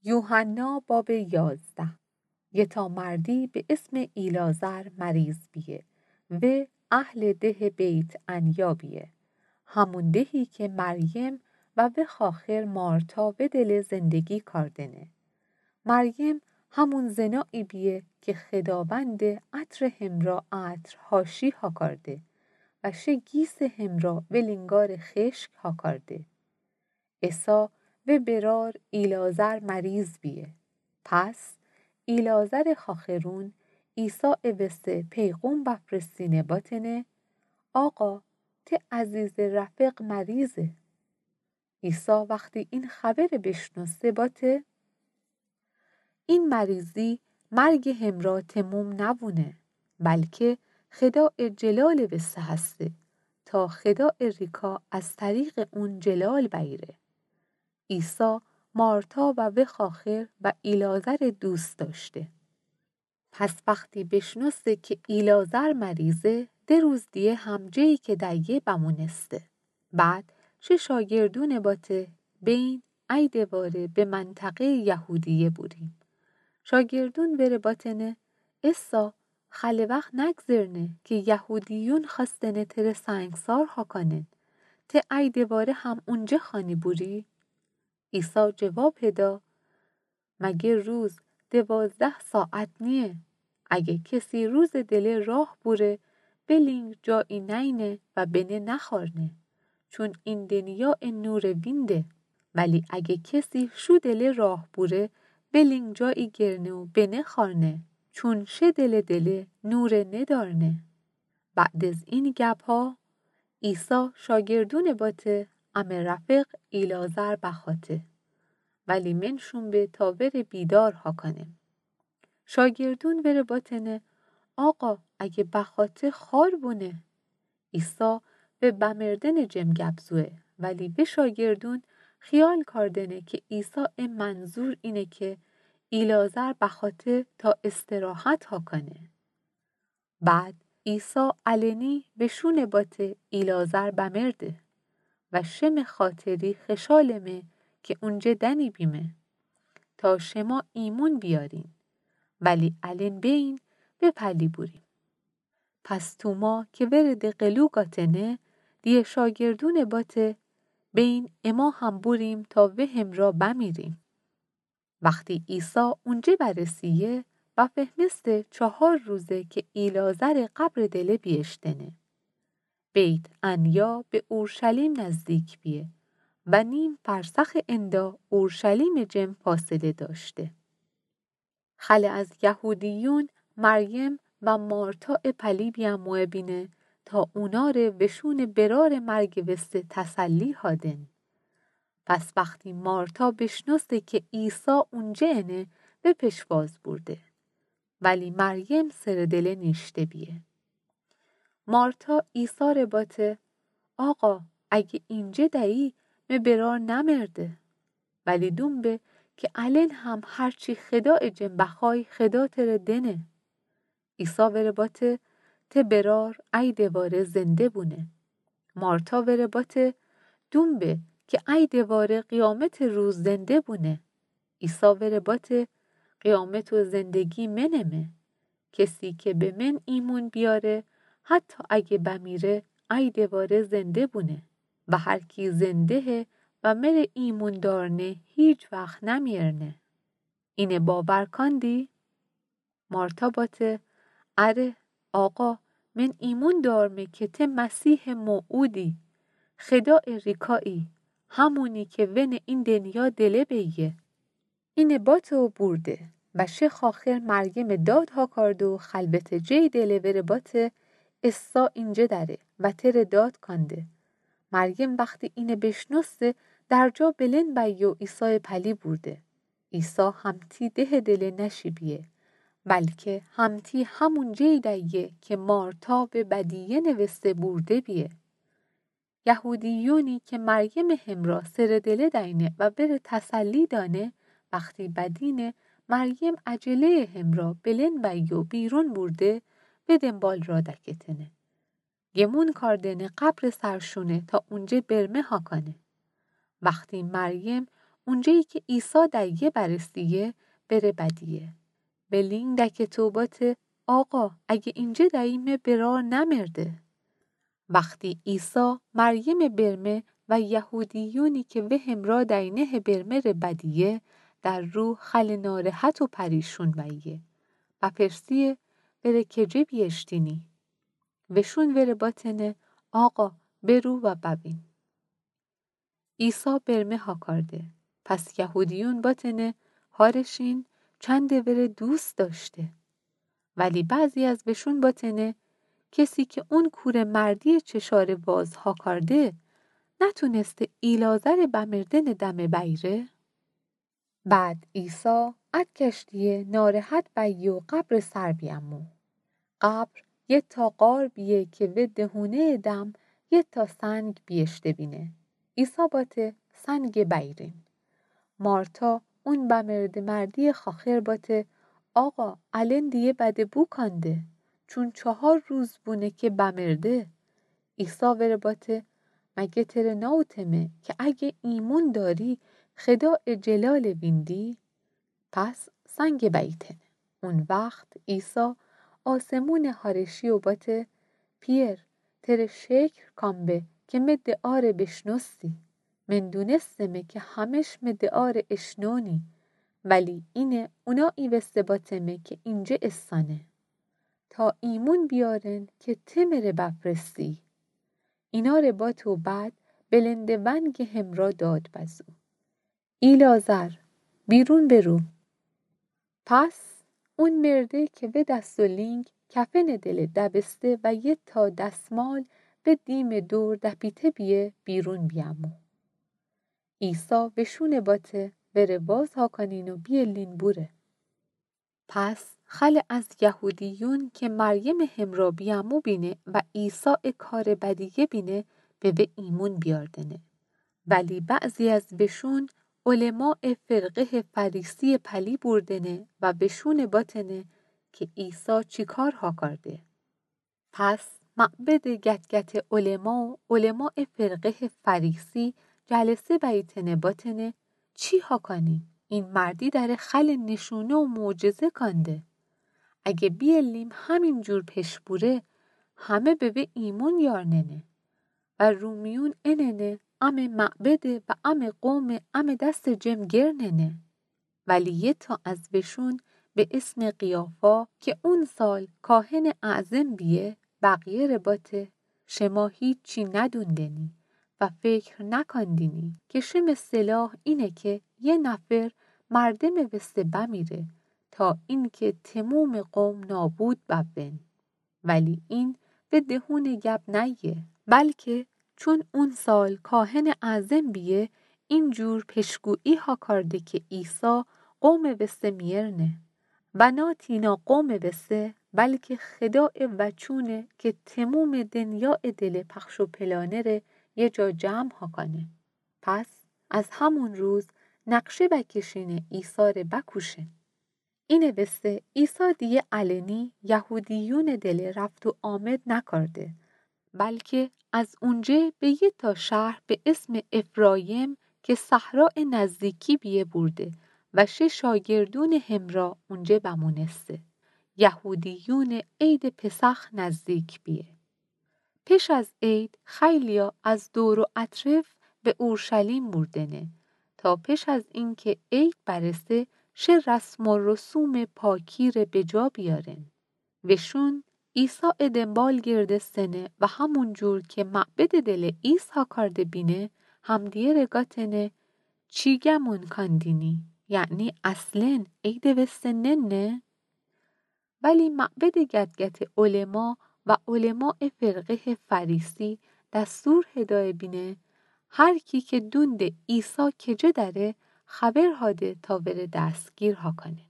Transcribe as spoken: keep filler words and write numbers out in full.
یوحنا باب یازده. یه تا مردی به اسم ایلازر مریض بیه و اهل ده بیت عنیا بیه. همون دهی که مریم و وخاخر مارتا و دل زندگی کاردنه. مریم همون زنایی بیه که خداوند عطر همرا عطر هاشی هاکارده و شه گیس همرا و لینگار خشک هاکارده. عیسی و برار ایلازر مریض بیه. پس ایلازر خاخرون عیسی اوسته پیغون بفرستینه باتنه، آقا، ته عزیز رفیق مریضه. عیسی وقتی این خبر بشنوسته باته، این مریضی مرگ همرا تموم نوونه، بلکه خداء جلال وسته هسته، تا خداء ریکا از طریق اون جلال بیره. عیسی مارتا و وخاخر و ایلازر دوست داشته. پس وقتی بشنوسته که ایلازر مریضه، ده روز دیه هم جهی که دیه بمونسته. بعد شه شاگردون باته، بین ای دواره به منطقه یهودیه بوریم. شاگردون وره باتنه، عیسی، خیلی وقت نگذرنه که یهودیون خواستنه تره سنگسار هاکانن، ته ای دواره هم اونجه خوانی بوری؟ عیسی جواب هدا، مگه روز دوازده ساعت نیه؟ اگه کسی روز دله راه بوره، بلینگ جایی نینه و بنه نخارنه، چون این دنیاء نور وینده. ولی اگه کسی شو دله راه بوره، بلینگ جایی گرنه و بنه خارنه، چون شه دل دله نور ندارنه. بعد از این گپا، عیسی شاگردون باته، امه رفیق ایلازر بخاته، ولی منشون به تا وره بیدار هاکانه. شاگردون وره باتنه، آقا، اگه بخاته خار بونه. عیسی و بمردن جم گپ زوه، ولی و شاگردون خیال کاردنه که عیسی ا منظور اینه که ایلازر بخاته تا استراحت هاکانه. بعد عیسی علنی وشون باته ایلازر بمرده و شمه خاطری خشالمه که اونجه دنی بیمه تا شما ایمون بیارین، ولی الن بین و پلی بوریم. پس توما که ورده قلو گاتنه، دیه شاگردون باته، بین اما هم بوریم تا و همرا بمیریم. وقتی عیسی اونجه برسیه، بفهمسته چهار روزه که ایلازر قبر دله بیشتنه. بیت عنیا به اورشلیم نزدیک بیه و نیم فرسخ اندا اورشلیم جم فاصله داشته. خله از یهودیون مریم و مارتا پلی بیاموه بینه تا اونا ره وشون برار مرگ وسته تسلی هادن. پس وقتی مارتا بشنوسته که عیسی اونجه انه، و پشواز بورده. ولی مریم سر دله نیشته بیه. مارتا عیسی ره باته، آقا، اگه اینجه دهی، مه برار نمرده. ولی دون به که الن هم هرچی خداء جم بخوای خدا تره دنه. عیسی وره باته، ته برار ای دواره زنده بونه. مارتا وره باته، دون به که ای دواره قیامت روز زنده بونه. عیسی وره باته، قیامت و زندگی منمه. کسی که به من ایمون بیاره، حتی اگه بمیره، ای دواره زنده بونه. و هر کی زندهه و مره ایمون دارنه، هیچ وقت نمیرنه. اینه باور کاندی؟ مارتا باته، اره، آقا، من ایمون دارمه که ته مسیح موعودی، خداء ریکایی، همونی که ون این دنیا دله بیه. اینه باته و بورده و شه خاخر مریم داد هاکارده و خلوت جی دله وره باته، عیسی اینجه دره و تره داد کانده. مریم وقتی اینه بشنوسته، در جا بلند بیه و عیسی پلی بورده. عیسی همتی ده دله نشی بیه، بلکه همتی همون جی دهیه که مارتا و بدیه نوسته بورده بیه. یهودیونی که مریم همرا سر دله دینه و وره تسلی دانه، وقتی بدینه مریم عجله همرا بلند بیه و بیرون بورده، و دنبال را دکتنه. گمون کاردنه قبر سرشونه تا اونجه برمه هاکانه. وقتی مریم اونجایی که عیسی دایه برسیه، بره بدیه. به لینگ دکته و باته: آقا، اگه اینجه داییمه، برار نمرده. وختی عیسی مریم برمه و یهودیونی که وه همرا دینه‌ه برمه ره بدیه، در روح خیلی ناراحت و پریشون بیه. و پرسیه: وره کجه بیاشتینی؟ وشون وره باتنه: آقا، برو و ببین. عیسی برمه هاکارده. پس یهودیون باتنه: هارشین، چنده وره دوست داشته. ولی بعضی از وشون باتنه: کسی که اون کور مردی چشار واز هاکارده، نتونسته ایلعازر بمردن دمه بیره؟ بعد عیسی اد کشتیه ناراحت بیه و قبر سر بیامو. قبر یه تا غار بیه که وه دهونه دم یه تا سنگ بیاشته بینه. عیسی باته: سنگ بیرین. مارتا، اون بمرده مردی خاخر، باته: آقا، الان دیه بده بوکانده، چون چهار روز بونه که بمرده. عیسی وره باته: مگه تره ناوتمه که اگه ایمون داری، خدای جلال ویندی؟ پس سنگ بیتنه. اون وخت عیسی آسمون هارشی و باته: پیر، تره شکر کام به که مه دعا ره بشنوسی. من دونستمه که همش مه دعا ره اشنونی، ولی اینه اونایی وسته باتمه که اینجه استانه، تا ایمون بیارن که ته مره بپرسی. اینا ره بات و بعد بلند ونگ همرا داد بزو: ایلعازر، بیرون برو. پس اون مرده که وه دست و لینگ کفن دله دبسته و یه تا دستمال وه دیم دور دپیته بیه، بیرون بیامو. عیسی وشون باته: وره واز هاکانین و بیلین بوره. پس خیلی از یهودیون که مریم همرا بیامو بینه و عیسی کار بدیه بینه، به وه ایمون بیاردنه. ولی بعضی از وشون علمای فرقه فریسی پلی بوردنه و وشون باتنه که عیسی چی کار هاکارده. پس معبد گتگت علما و علمای فرقه فریسی جلسه بیتنه باتنه: چی هاکانی؟ این مردی دره خیلی نشونه و معجزه کانده. اگه بیلیم همین جور پش بوره، همه به وه ایمون یارننه. و رومیون اننه امه معبده و امه قومه امه دست جم گرننه. ولی یه تا از وشون به اسم قیافا که اون سال کاهن اعظم بیه، بقیه ره باته: شما هیچی ندوندنی و فکر نکاندینی که شمه سلاح اینه که یه نفر مردم وسته بمیره تا اینکه تموم قوم نابود ببن. ولی این وه دهون گپ نیه، بلکه چون اون سال کاهن اعظم بیه، این جور پشگویی هاکارده که عیسی قوم وسته میرنه و نا تینا قوم وسته، بلکه خدای وچونه که تموم دنیا دله پخش و پلانه ره یه جا جمع هاکانه. پس از همون روز نقشه بکشینه عیسی ره بکوشن. اینه وسته عیسی دیه علنی یهودیون دله رفت و آمد نکارده، بلکه از اونجه به یه تا شهر به اسم افرایم که صحرا نزدیکی بیه بورده و شه شاگردون همرا اونجه بمونسته. یهودیون عید پسخ نزدیک بیه. پش از عید خیلیا از دور و اطرف به اورشلیم بوردنه، تا پش از اینکه عید برسه، شه رسم و رسوم پاکی ره به جا بیارن. وشون عیسی دنبال گردستنه و همون جور که معبد دل ایثار کرده بینه، همدیه ره گاتنه: چی گمون کاندینی؟ یعنی اصلاً عید وسته ننه؟ ولی معبد گتگت علما و علمای فرقه فریسی دستور هدایه بینه: هر کی که دونده عیسی کجه دره، خبر هاده تا وره دستگیر هاکنه.